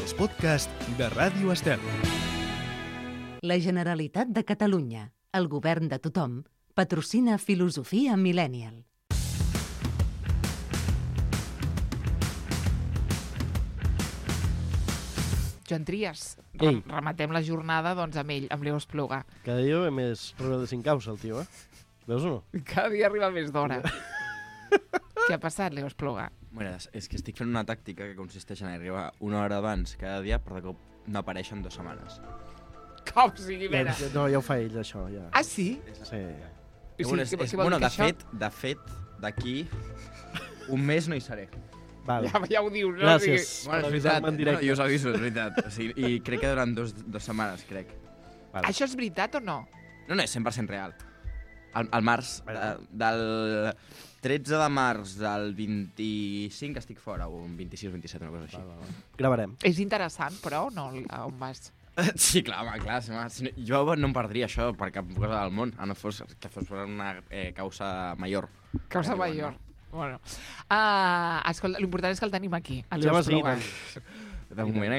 els podcasts de Ràdio Estel. La Generalitat de Catalunya, el govern de tothom, patrocina Filosofia Millennial. Joan Trias, Ei. rematem la jornada doncs, amb ell, amb Leo Espluga. Cada dia ve més Rebel de 5 causa, el tio, Veus o no? Cada dia arriba més d'hora. Què ha passat, Leo Espluga? Bueno, és que estic fent una tàctica que consisteix en arribar una hora abans cada dia, però de cop no apareix en 2 setmanes. Com sigui, mira. No, ja ho fa ell, això, ja. Ah, sí? Sí. Bueno, què vol dir que això? de fet, d'aquí un mes no hi seré. Vale. Ja ho dius, no? Gràcies. Bueno, és avisar-me en directe. jo us aviso, és veritat. O sigui, I crec que durant dos setmanes, crec. Vale. Això és veritat o no? No, és 100% real. Al març, del 13 de març al 25 estic fora, o un 26 o 27, una cosa així. Vale. Gravarem. És interessant, però, no? On vas? Sí, clar, home, clar. Jo no em perdria això per cap cosa del món, a no fos que fos per una causa major. Causa major. Bueno. Escolta, l'important és que el tenim aquí, a Leo Ja m'has dit, Espluga. De moment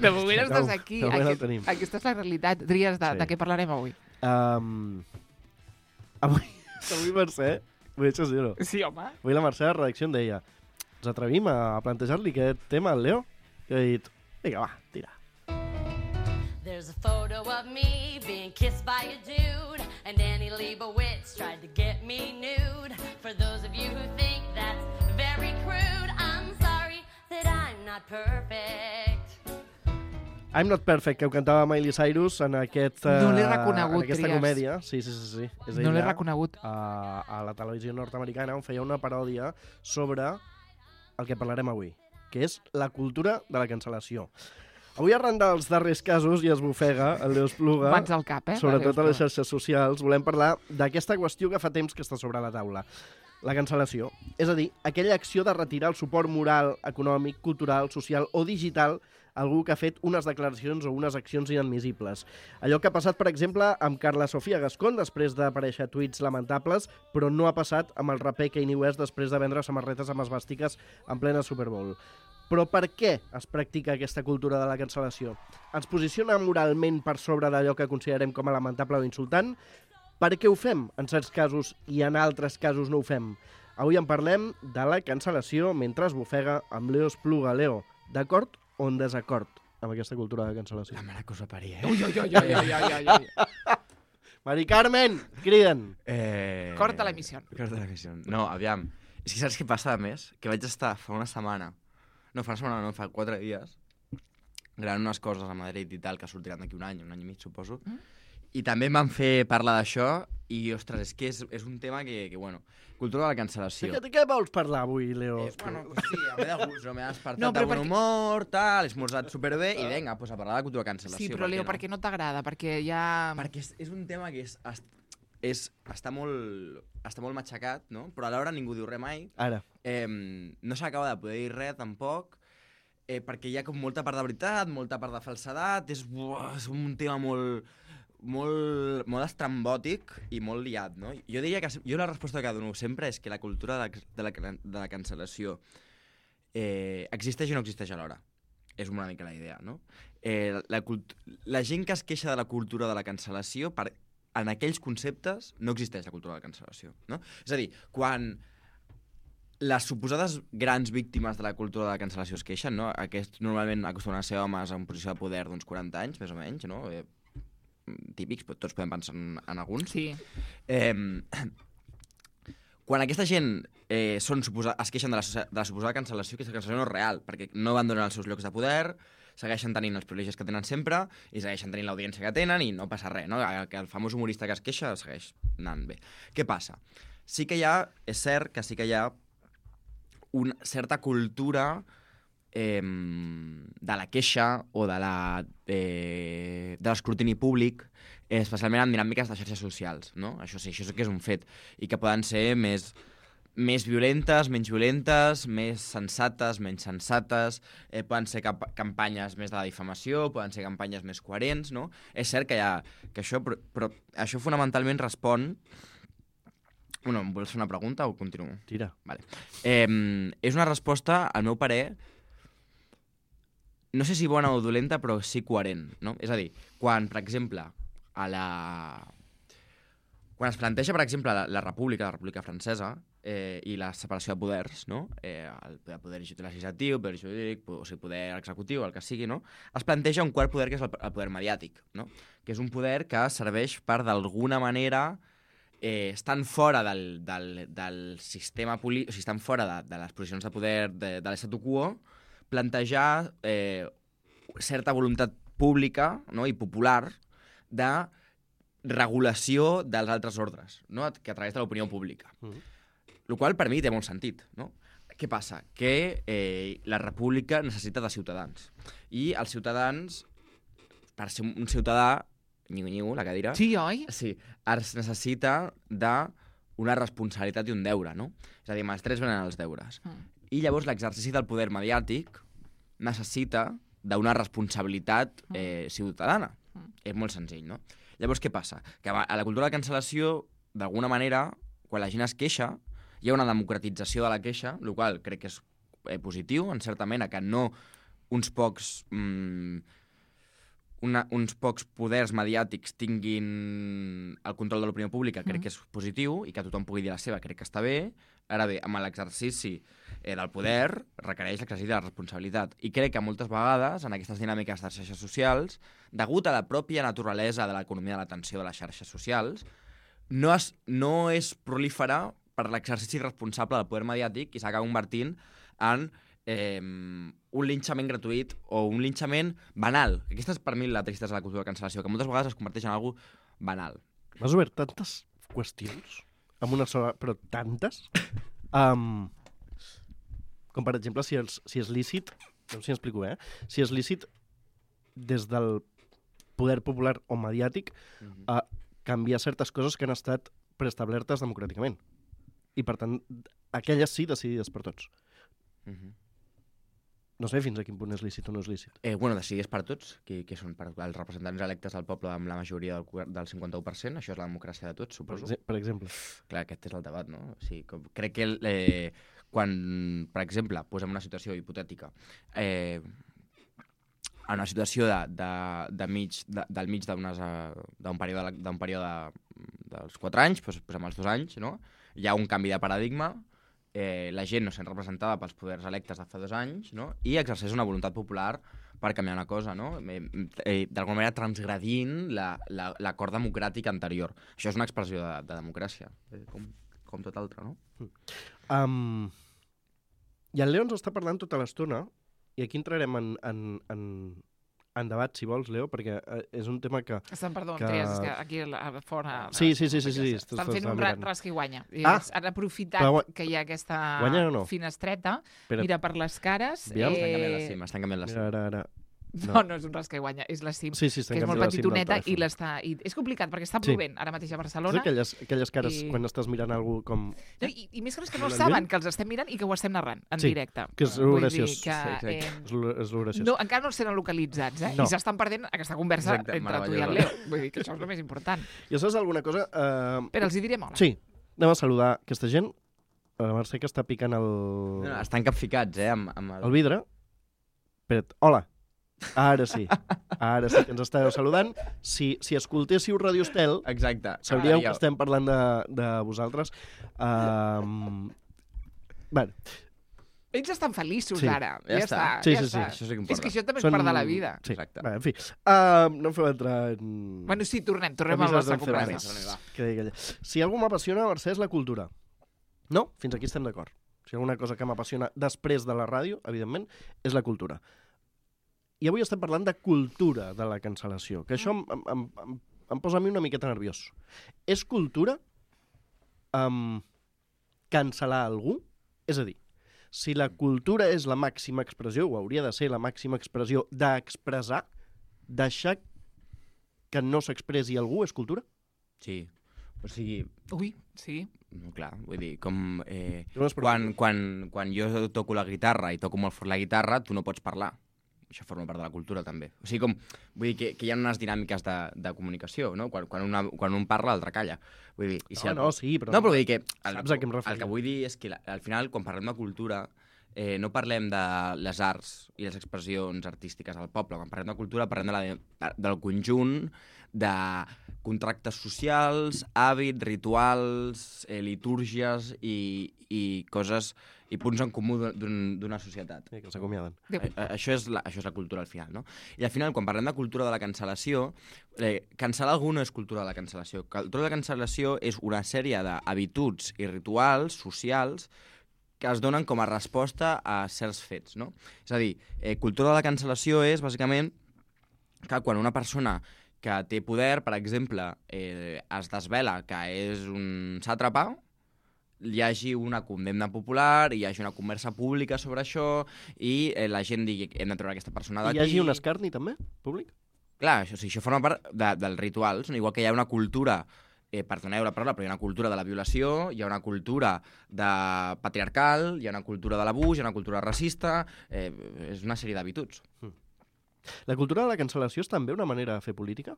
De moment estàs aquí. De moment el tenim. Aquesta és la realitat. Trias, de què parlarem avui? Avui Mercè, vull deixar dir-ho. Sí, home. Avui la Mercè a la redacció em deia ens atrevim a plantejar-li aquest tema al Leo? I he dit, vinga, va, tira. There's a photo of me being kissed by a dude, and Annie Leibovitz tried to get me nude. For those of you who think that's very crude, I'm sorry that I'm not perfect. I'm Not Perfect, que ho cantava Miley Cyrus en aquest, No l'he reconegut, en aquesta Trias. comèdia. Sí. És No l'he ella, reconegut. a la televisió nord-americana, on feia una paròdia sobre el que parlarem avui, que és la cultura de la cancel·lació. Avui, arran dels darrers casos, i es bofega el Leo Espluga, Mans al cap, sobretot a les Leo xarxes socials, volem parlar d'aquesta qüestió que fa temps que està sobre la taula. La cancel·lació. És a dir, aquella acció de retirar el suport moral, econòmic, cultural, social o digital a algú que ha fet unes declaracions o unes accions inadmissibles. Allò que ha passat, per exemple, amb Carla Sofia Gascón després d'aparèixer tuits lamentables, però no ha passat amb el raper Kanye West després de vendre samarretes amb esvàstiques en plena Super Bowl. Però per què es practica aquesta cultura de la cancel·lació? Ens posiciona moralment per sobre d'allò que considerem com a lamentable o insultant? Per què ho fem en certs casos i en altres casos no ho fem? Avui en parlem de la cancel·lació mentre es bofega amb Leo Espluga. Leo, d'acord o en desacord amb aquesta cultura de cancel·lació? La mare que us va parir, Ui. Mari Carmen, criden! Corta l'emissió. Corta l'emissió. No, aviam. És que saps què passa, a més? Que vaig estar fa una setmana, fa 4 dies, gravant unes coses a Madrid i tal, que sortiran d'aquí un any i mig, suposo. I també em van fer parlar d'això i, ostres, és que és un tema que bueno, cultura de la cancel·lació. De què vols parlar avui, Leo? Bueno, sí, m'he de gust, m'he despertat No, però de bon humor, tal, he esmorzat superbé i vinga, pues a parlar de la cultura de la cancel·lació. Sí, però Leo, per què no t'agrada? Perquè ja... Perquè és un tema que està molt matxacat, no? Però alhora ningú diu res mai. Ara. No s'acaba de poder dir res, tampoc, perquè hi ha com molta part de veritat, molta part de falsedat, és un tema molt estrambòtic i molt liat, no? Jo diria que la resposta que dono sempre és que la cultura de la cancel·lació existeix i no existeix alhora. És una mica la idea, no? La gent que es queixa de la cultura de la cancel·lació, en aquells conceptes no existeix la cultura de la cancel·lació, no? És a dir, quan les suposades grans víctimes de la cultura de la cancel·lació es queixen, no? Aquests normalment acostumen a ser homes en posició de poder d'uns 40 anys, més o menys, no? Típics, però tots podem pensar en alguns. Sí. Quan aquesta gent es queixen de la suposada cancel·lació, aquesta cancel·lació no és real, perquè no abandonen els seus llocs de poder, segueixen tenint els privilegis que tenen sempre i segueixen tenint l'audiència que tenen i no passa res, no? Que el famós humorista que es queixa segueix anant bé. Què passa? És cert que sí que hi ha una certa cultura de la queixa o de l'escrutini públic, especialment en dinàmiques de xarxes socials, no? Això sí que és un fet, i que poden ser més violentes, menys violentes, més sensates, menys sensates, poden ser campanyes més de la difamació, poden ser campanyes més coherents, no? És cert que això, però això fonamentalment respon... Bueno, em vols fer una pregunta o continuo? Tira. Vale. És una resposta, al meu parer, no sé si bona o dolenta, però sí coherent, no? És a dir, quan, per exemple, quan es planteja, per exemple, la República Francesa, i la separació de poders, no? El poder legislatiu, el poder jurídic, o sigui, poder executiu, el que sigui, no? Es planteja un quart poder, que és el poder mediàtic, no? Que és un poder que serveix per, d'alguna manera, estan fora del sistema polític, o sigui, estan fora de les posicions de poder de l'statu quo, plantejar certa voluntat pública, no? I popular de regulació dels altres ordres, no? Que a través de l'opinió pública. El qual per mi té molt sentit, no? Què passa? Que la república necessita de ciutadans. I els ciutadans, per ser un ciutadà, nyigo, la cadira... Sí, oi? Sí, es necessita d'una responsabilitat i un deure, no? És a dir, amb els drets venen els deures. I llavors l'exercici del poder mediàtic necessita d'una responsabilitat ciutadana. És molt senzill, no? Llavors, què passa? Que a la cultura de cancel·lació, d'alguna manera, quan la gent es queixa, hi ha una democratització de la queixa, el qual crec que és positiu, en certa mena, que no uns pocs poders mediàtics tinguin el control de l'opinió pública, crec que és positiu, i que tothom pugui dir la seva, crec que està bé. Ara bé, amb l'exercici del poder requereix l'exercici de la responsabilitat. I crec que moltes vegades, en aquestes dinàmiques de les xarxes socials, degut a la pròpia naturalesa de l'economia de l'atenció de les xarxes socials, no és proliferar per l'exercici responsable del poder mediàtic i s'acaba convertint en un linxament gratuït o un linxament banal. Aquesta és per mi la tristesa de la cultura de cancel·lació, que moltes vegades es converteix en algo banal. M'has obert tantes qüestions amb una sola, però tantes. Com per exemple, si és lícit, no sé si explico bé, si és lícit des del poder popular o mediàtic canviar certes coses que han estat preestablertes democràticament. I, per tant, aquelles sí decidides per tots. No sé fins a quin punt és lícit o no és lícit. Bueno, decidides per tots, que són els representants electes del poble amb la majoria del 51%, això és la democràcia de tots, suposo. Per exemple. Clar, aquest és el debat, no? O sigui, crec que quan, per exemple, posem una situació hipotètica, en una situació del mig d'un període dels 4 anys, doncs posem els 2 anys, no? Hi ha un canvi de paradigma, la gent no sent representada pels poders electes de fa 2 anys, no? I exerceix una voluntat popular per canviar una cosa, no? D'alguna manera transgredint l'acord democràtic anterior. Això és una expressió de democràcia, com tot altre, no? I el Leo ens està parlant tota l'estona, i aquí entrarem en debat, si vols, Leo, perquè és un tema que... Perdó, Trias, és que aquí fora... Sí. Estan fent un rasca i guanya. Han aprofitat que hi ha aquesta finestreta, mira per les cares... Estan canviant la cim. Ara. No és un rasca i guanya, és la cim, que és molt petitoneta i l'està... És complicat, perquè està plovent ara mateix a Barcelona. Aquelles cares quan estàs mirant algú com... I més que no saben que els estem mirant i que ho estem narrant en directe. Que és graciós. És graciós. Encara no els tenen localitzats, I s'estan perdent aquesta conversa entre tu i el Leo. Vull dir que això és el més important. I saps alguna cosa? Però els hi direm hola. Sí, anem a saludar aquesta gent. La Mercè que està picant el... Estan capficats, el vidre. Espera't, hola. Ara sí que ens estàveu saludant. Si escoltéssiu Radio Estel, sabríeu que estem parlant de vosaltres. Bé. Ells estan feliços ara. Ja està. Sí. Això sí que importa. És que això també és part de la vida. Sí. Bé, en fi, no feu entrar en... Bueno, sí, tornem al nostre compromís. Si algú m'apassiona, Mercè, és la cultura. No? Fins aquí estem d'acord. Si alguna cosa que m'apassiona després de la ràdio, evidentment, és la cultura. I avui estem parlant de cultura de la cancel·lació, que això em posa a mi una miqueta nerviós. És cultura cancel·lar algú? És a dir, si la cultura és la màxima expressió, o hauria de ser la màxima expressió d'expressar, deixar que no s'expressi algú és cultura? Sí. O sigui... Ui, sí. No, clar, vull dir, com... Quan jo toco la guitarra i toco molt fort la guitarra, tu no pots parlar. Això forma part de la cultura, també. O sigui, vull dir que hi ha unes dinàmiques de comunicació, no? Quan un parla, l'altre calla. Vull dir, sí, però... No, però vull dir que... Saps a què em refereixo? El que vull dir és que, al final, quan parlem de cultura, no parlem de les arts i les expressions artístiques del poble. Quan parlem de cultura parlem del conjunt de contractes socials, hàbits, rituals, litúrgies i coses i punts en comú d'una societat. Que s'acomiaden. Això és la cultura al final, no? I al final, quan parlem de cultura de la cancel·lació, cancel·lar algú no és cultura de la cancel·lació. Cultura de la cancel·lació és una sèrie d'habituds i rituals socials que es donen com a resposta a certs fets, no? És a dir, cultura de la cancel·lació és, bàsicament, que quan una persona que té poder, per exemple, es desvela que és un sàtrapa, hi hagi una condemna popular, hi hagi una conversa pública sobre això i la gent digui que hem de treure aquesta persona d'aquí. Hi hagi un escarni, també, públic? Clar, això forma part dels rituals, no? Igual que hi ha una cultura, perdoneu la paraula, però hi ha una cultura de la violació, hi ha una cultura patriarcal, hi ha una cultura de l'abús, hi ha una cultura racista, és una sèrie d'habituds. La cultura de la cancel·lació és també una manera de fer política?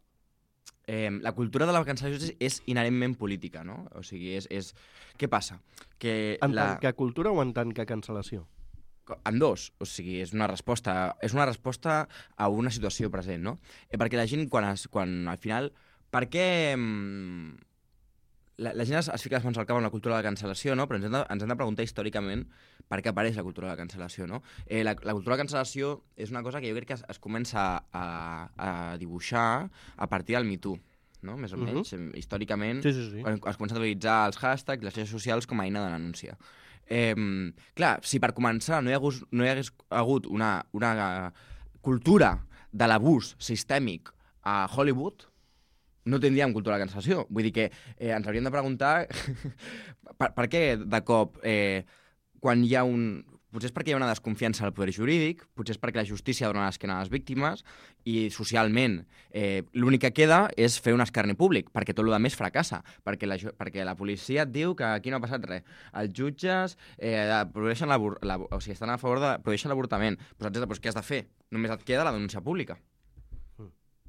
La cultura de la cancel·lació és inherentment política, no? O sigui, què passa? En tant que cultura o en tant que cancel·lació? En dos. O sigui, és una resposta a una situació present, no? Perquè la gent, quan al final... Per què... La gent es fica les mans al cap amb la cultura de la cancel·lació, no? Però ens hem de preguntar històricament per què apareix la cultura de la cancel·lació, no? La cultura de la cancel·lació és una cosa que jo crec que es comença a dibuixar a partir del Me Too, no? Més o menys, històricament, sí. Quan es comença a utilitzar els hashtags, les xarxes socials com a eina de denúncia. Clar, si per començar no hi hagués hagut una cultura de l'abús sistèmic a Hollywood, no tindríem cultura de la cancel·lació. Vull dir que ens hauríem de preguntar per què de cop quan hi ha potser és perquè hi ha una desconfiança al poder jurídic, potser és perquè la justícia dona l'esquena a les víctimes i socialment l'únic que queda és fer un escarni públic, perquè tot el més fracassa, perquè la policia et diu que aquí no ha passat res. Els jutges prohibeixen estan a favor de prohibeixen l'avortament. Doncs què has de fer? Només et queda la denúncia pública.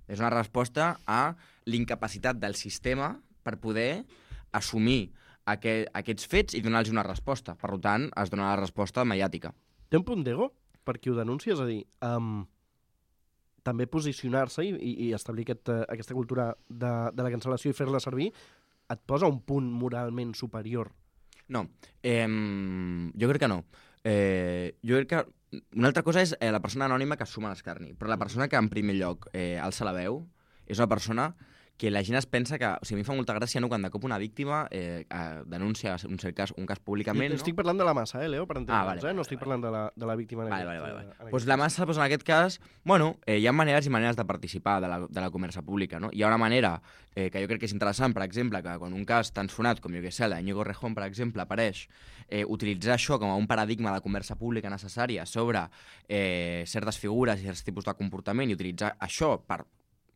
És una resposta a l'incapacitat del sistema per poder assumir aquests fets i donar-los una resposta. Per tant, es dona la resposta mediàtica. Té un punt d'ego per qui ho denuncia? És a dir, també posicionar-se i establir aquesta cultura de la cancel·lació i fer-la servir et posa un punt moralment superior? No, jo crec que no. Jo crec que una altra cosa és la persona anònima que assuma l'escarni, però la persona que en primer lloc alça la veu és una persona que la gent es pensa que... O sigui, a mi em fa molta gràcia, no?, quan de cop una víctima denuncia un cas públicament, no? Estic parlant de la massa, Leo, per entendre'ns, No estic parlant de la víctima. Vale. Doncs la massa, en aquest cas, bueno, hi ha maneres i maneres de participar de la conversa pública, no? Hi ha una manera que jo crec que és interessant, per exemple, que quan un cas tan sonat com, jo què sé, el d'Iñigo Errejón, per exemple, apareix, utilitzar això com a un paradigma de conversa pública necessària sobre certes figures i certs tipus de comportament i utilitzar això per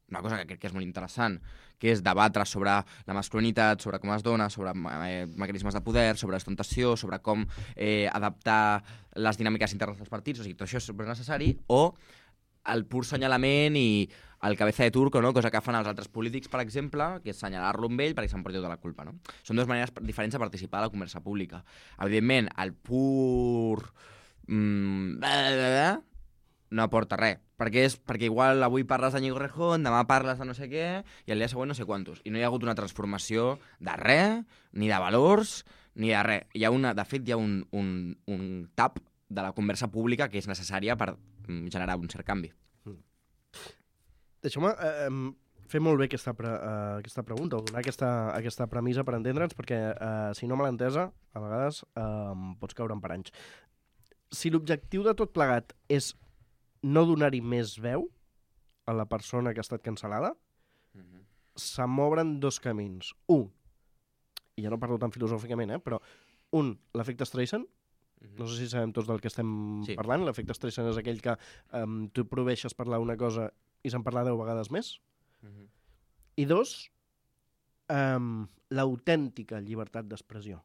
una cosa que crec que és molt interessant, que és debatre sobre la masculinitat, sobre com es dona, sobre mecanismes de poder, sobre ostentació, sobre com adaptar les dinàmiques internes dels partits, o sigui, tot això és necessari, o el pur senyalament i el cabeza de turco, no?, cosa que fan els altres polítics, per exemple, que és senyalar-lo amb ell perquè s'emporti tota la culpa, no? Són dues maneres diferents de participar a la conversa pública. Evidentment, el pur... no aporta res, perquè igual avui parles d'Iñigo Errejón, demà parles de no sé què, i el dia següent no sé quantos. I no hi ha hagut una transformació de res, ni de valors, ni de res. De fet, hi ha un tap de la conversa pública que és necessària per generar un cert canvi. Deixeu-me fer molt bé aquesta pregunta, o donar aquesta premissa per entendre'ns, perquè si no me l'he entesa, a vegades pots caure en paranys. Si l'objectiu de tot plegat és no donar-hi més veu a la persona que ha estat cancel·lada, se'n m'obren dos camins. Un, i ja no parlo tan filosòficament, però l'efecte Streisand. No sé si sabem tots del que estem parlant. L'efecte Streisand és aquell que tu prohibeixes parlar una cosa i se'n parla 10 vegades més. I dos, l'autèntica llibertat d'expressió.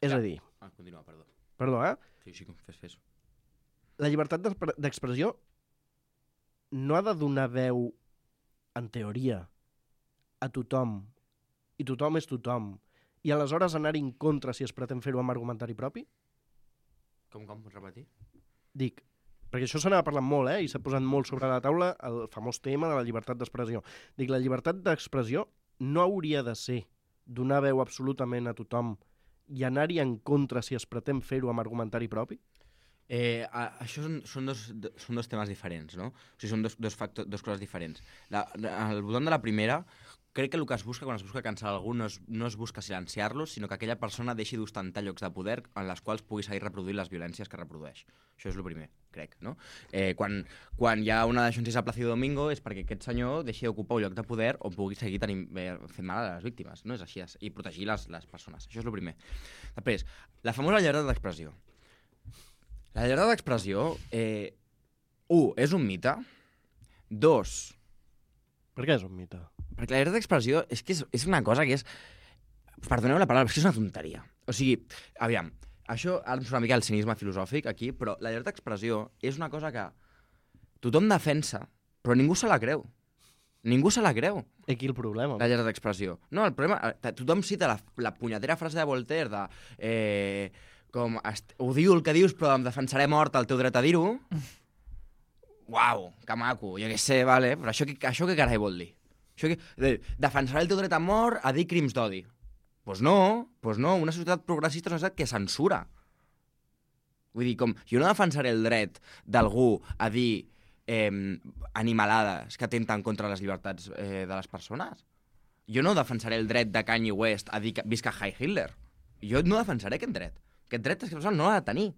És a dir... Continua, perdó. Perdó, Sí, fes. La llibertat d'expressió no ha de donar veu, en teoria, a tothom, i tothom és tothom, i aleshores anar en contra si es pretén fer-ho amb argumentari propi? Com, pots repetir? Dic, perquè això se n'ha parlat molt, i s'ha posat molt sobre la taula el famós tema de la llibertat d'expressió. Dic, la llibertat d'expressió no hauria de ser donar veu absolutament a tothom i anar-hi en contra si es pretén fer-ho amb argumentari propi? Això són dos temes diferents, no? O sigui, són dos coses diferents. Al voltant de la primera, crec que el que es busca quan es busca cancel·lar algú no es busca silenciar-los, sinó que aquella persona deixi d'ostentar llocs de poder en les quals pugui seguir reproduint les violències que reprodueix. Això és el primer, crec, no? Quan hi ha una detenció a Plácido Domingo és perquè aquest senyor deixi d'ocupar un lloc de poder o pugui seguir fent mal a les víctimes, no és així, i protegir les persones. Això és el primer. Després, la famosa llibertat d'expressió. La llibertat d'expressió, 1, és un mite. 2... Per què és un mite? Perquè la llibertat d'expressió és una cosa que és... Perdoneu la paraula, però és una tonteria. O sigui, aviam, això ara em surt una mica el cinisme filosòfic aquí, però la llibertat d'expressió és una cosa que tothom defensa, però ningú se la creu. Ningú se la creu. I aquí el problema? La llibertat d'expressió. No, el problema... Tothom cita la punyetera frase de Voltaire de... odio el que dius, però em defensaré mort el teu dret a dir-ho. Uau, que maco, jo què sé, vale, però això què carai vol dir? Defensaré el teu dret a mort a dir crims d'odi. Doncs no, una societat progressista és una societat que censura. Vull dir, jo no defensaré el dret d'algú a dir animalades que atenten contra les llibertats de les persones. Jo no defensaré el dret de Kanye West a dir que visca Heil Hitler. Jo no defensaré aquest dret. Aquest dret és que la persona no l'ha de tenir,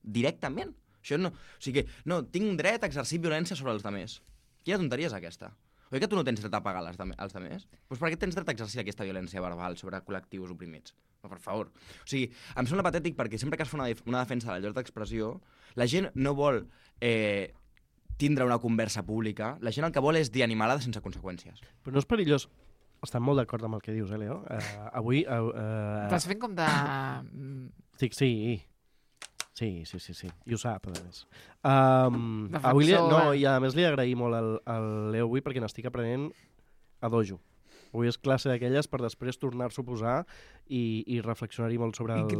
directament. Això no... O sigui, no, tinc dret a exercir violència sobre els altres. Quina tonteria és aquesta? Oi que tu no tens dret a pagar als altres? Doncs per què tens dret a exercir aquesta violència verbal sobre col·lectius oprimits? Per favor. O sigui, em sembla patètic perquè sempre que es fa una defensa de la llibertat d'expressió, la gent no vol tindre una conversa pública, la gent el que vol és dir animalades sense conseqüències. Però no és perillós. Estan molt d'acord amb el que dius, Leo? Avui... Estàs fent com de... Sí. I ho sap, a més. Avui i a més li agraïm molt al Leo avui perquè n'estic aprenent a dojo. Avui és classe d'aquelles per després tornar-s'ho a posar i reflexionar-hi molt sobre el que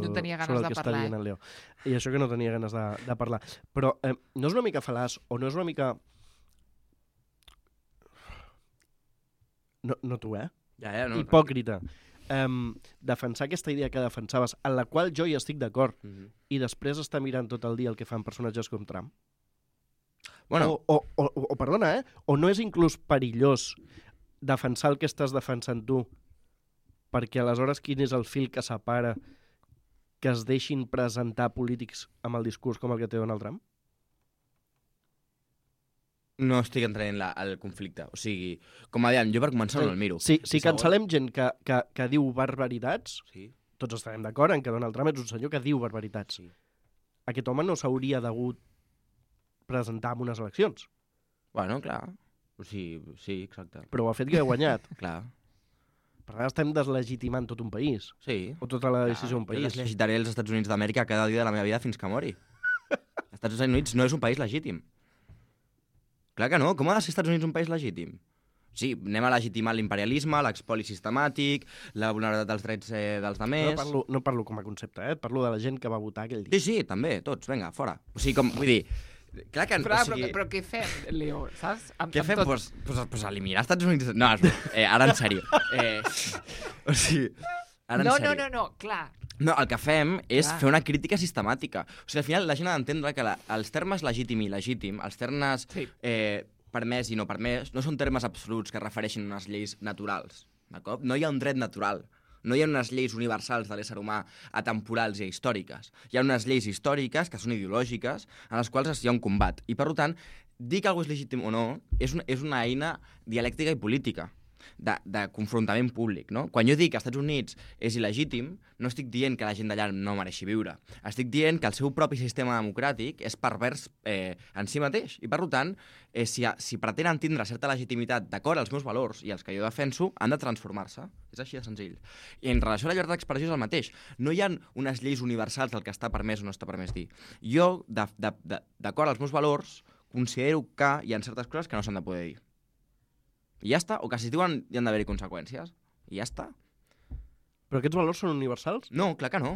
està dient el Leo. I això que no tenia ganes de parlar. Però no és una mica fal·laç o no és una mica... No tu, no, hipòcrita. Defensar aquesta idea que defensaves, en la qual jo hi estic d'acord, i després estar mirant tot el dia el que fan personatges com Trump. Bueno. O perdona, o no és inclús perillós defensar el que estàs defensant tu, perquè aleshores quin és el fil que separa que es deixin presentar polítics amb el discurs com el que té Donald Trump? No estic entrant al conflicte. O sigui, com a dèiem, jo per començar no el miro. Si cancel·lem gent que diu barbaritats, tots estarem d'acord en que Donald Trump és un senyor que diu barbaritats. Aquest home no s'hauria degut presentar en unes eleccions. Bueno, clar. O sigui, sí, exacte. Però ho ha fet que ha guanyat. Clar. Per tant, estem deslegitimant tot un país. Sí. O tota la decisió d'un país. Jo deslegitaré els Estats Units d'Amèrica cada dia de la meva vida fins que mori. Els Estats Units no és un país legítim. Clar que no. Com ha de ser Estats Units un país legítim? Sí, anem a legitimar l'imperialisme, l'expoli sistemàtic, la vulnerabilitat dels drets dels altres... No parlo com a concepte, parlo de la gent que va votar aquell dia. Sí, també, tots, vinga, fora. O sigui, vull dir... Clar que, però què fem, Leo, saps? Què fem? Pues eliminar Estats Units... No, ara en sèrio. O sigui, ara en sèrio. No, clar. No, el que fem és fer una crítica sistemàtica. O sigui, al final la gent ha d'entendre que els termes legítim i il·legítim, els termes permès i no permès, no són termes absoluts que refereixin a unes lleis naturals. D'acord? No hi ha un dret natural. No hi ha unes lleis universals de l'ésser humà atemporals i històriques. Hi ha unes lleis històriques que són ideològiques en les quals hi ha un combat. I, per tant, dir que algú és legítim o no és una eina dialèctica i política de confrontament públic, no? Quan jo dic que als Estats Units és il·legítim, no estic dient que la gent d'allà no mereixi viure. Estic dient que el seu propi sistema democràtic és pervers en si mateix. I, per tant, si pretenen tindre certa legitimitat d'acord als meus valors i els que jo defenso, han de transformar-se. És així de senzill. I en relació a la llibertat d'expressió és el mateix. No hi ha unes lleis universals del que està permès o no està permès dir. Jo, d'acord als meus valors, considero que hi ha certes coses que no s'han de poder dir. I ja està, o que si es diuen hi han d'haver-hi conseqüències. I ja està. Però aquests valors són universals? No, clar que no.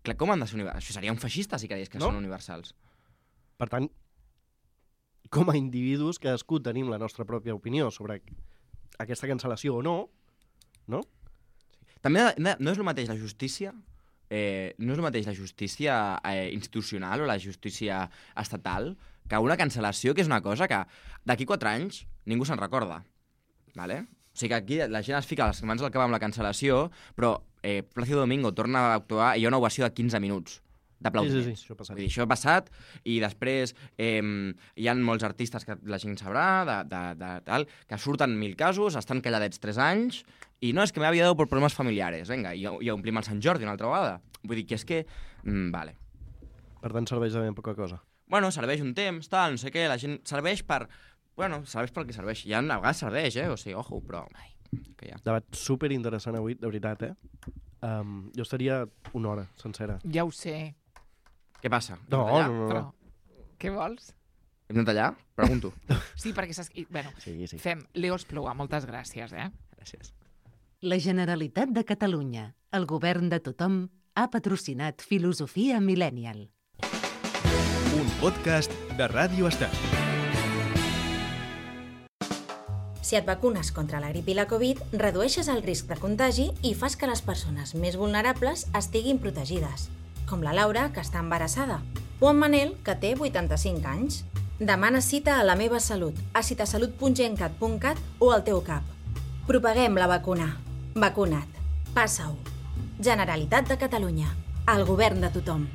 Clar, com han de ser universals? Això seria un feixista si creies que són universals. Per tant, com a individus, cadascú tenim la nostra pròpia opinió sobre aquesta cancel·lació o no, no? També no és el mateix la justícia, institucional o la justícia estatal que una cancel·lació, que és una cosa que d'aquí 4 anys ningú se'n recorda. Vale? O sigui que aquí la gent es fica les mans al cap amb la cancel·lació, però Plácido Domingo torna a actuar i hi ha una ovació de 15 minuts d'aplaudiments. Sí, això ha passat. Vull dir, això ha passat, i després hi ha molts artistes que la gent sabrà, tal, que surten 1000 casos, estan calladets 3 anys, i no, és que m'he aviat per problemes familiares, vinga, i omplim el Sant Jordi una altra vegada. Vull dir que és que... vale. Per tant, serveix de ben poca cosa. Bueno, serveix un temps, tal, no sé què, la gent serveix per... Bueno, serveix pel que serveix. Ja a vegades serveix, o sigui, ojo, però... Que ja. Debat superinteressant avui, de veritat, jo estaria 1 hora sencera. Ja ho sé. Què passa? No. Però, què vols? Hem de tallar? Pregunto. Sí, perquè bueno, sí. Fem Leo Espluga, moltes gràcies, Gràcies. La Generalitat de Catalunya, el govern de tothom, ha patrocinat Filosofia Millennial. Un podcast de Ràdio Estel. Si et vacunes contra la grip i la Covid, redueixes el risc de contagi i fas que les persones més vulnerables estiguin protegides, com la Laura, que està embarassada, o en Manel, que té 85 anys. Demana cita a La Meva Salut, a citasalut.gencat.cat o al teu CAP. Propaguem la vacuna. Vacunat. Passa-ho. Generalitat de Catalunya. El govern de tothom.